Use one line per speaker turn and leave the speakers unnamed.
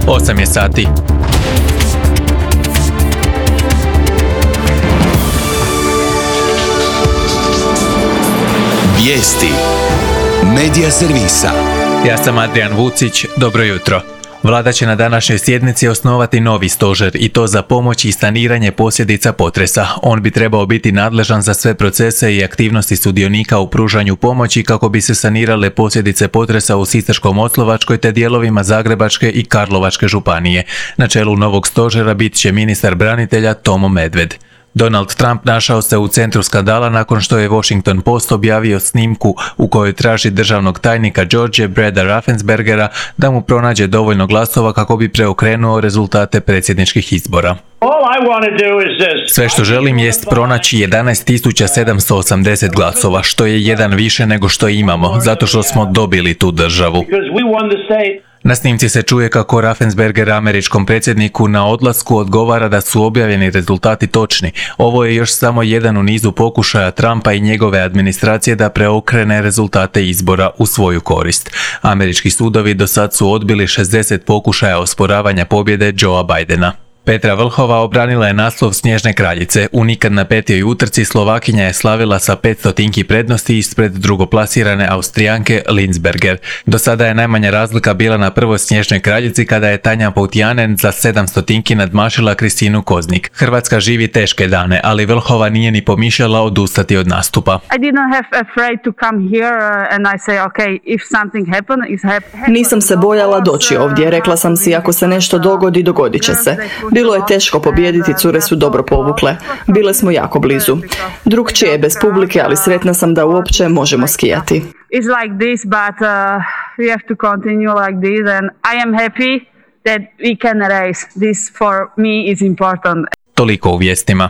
8 je sati.
Vijesti Medija servisa.
Ja sam Adrian Vucić, dobro jutro. Vlada će na današnjoj sjednici osnovati novi stožer i to za pomoć i saniranje posljedica potresa. On bi trebao biti nadležan za sve procese i aktivnosti sudionika u pružanju pomoći kako bi se sanirale posljedice potresa u Sisačko-moslavačkoj te dijelovima Zagrebačke i Karlovačke županije. Na čelu novog stožera bit će ministar branitelja Tomo Medved. Donald Trump našao se u centru skandala nakon što je Washington Post objavio snimku u kojoj traži državnog tajnika George Breda Raffenspergera da mu pronađe dovoljno glasova kako bi preokrenuo rezultate predsjedničkih izbora. Sve što želim jest pronaći 11.780 glasova, što je jedan više nego što imamo, zato što smo dobili tu državu. Na snimci se čuje kako Raffensperger američkom predsjedniku na odlasku odgovara da su objavljeni rezultati točni. Ovo je još samo jedan u nizu pokušaja Trumpa i njegove administracije da preokrene rezultate izbora u svoju korist. Američki sudovi do sad su odbili 60 pokušaja osporavanja pobjede Joea Bidena. Petra Vlhova obranila je naslov Snježne kraljice. U nikad napetijoj utrci Slovakinja je slavila sa 500 prednosti ispred drugoplasirane Austrijanke Linsberger. Do sada je najmanja razlika bila na prvoj Snježnoj kraljici kada je Tanja Poutianen za 700 nadmašila Kristinu Koznik. Hrvatska živi teške dane, ali Vlhova nije ni pomišljala odustati od nastupa.
Nisam se bojala doći ovdje, rekla sam si ako se nešto dogodi, dogodit će se. Bilo je teško pobijediti, cure su dobro povukle. Bile smo jako blizu. Drugčije je bez publike, ali sretna sam da uopće možemo skijati.
Toliko u vijestima.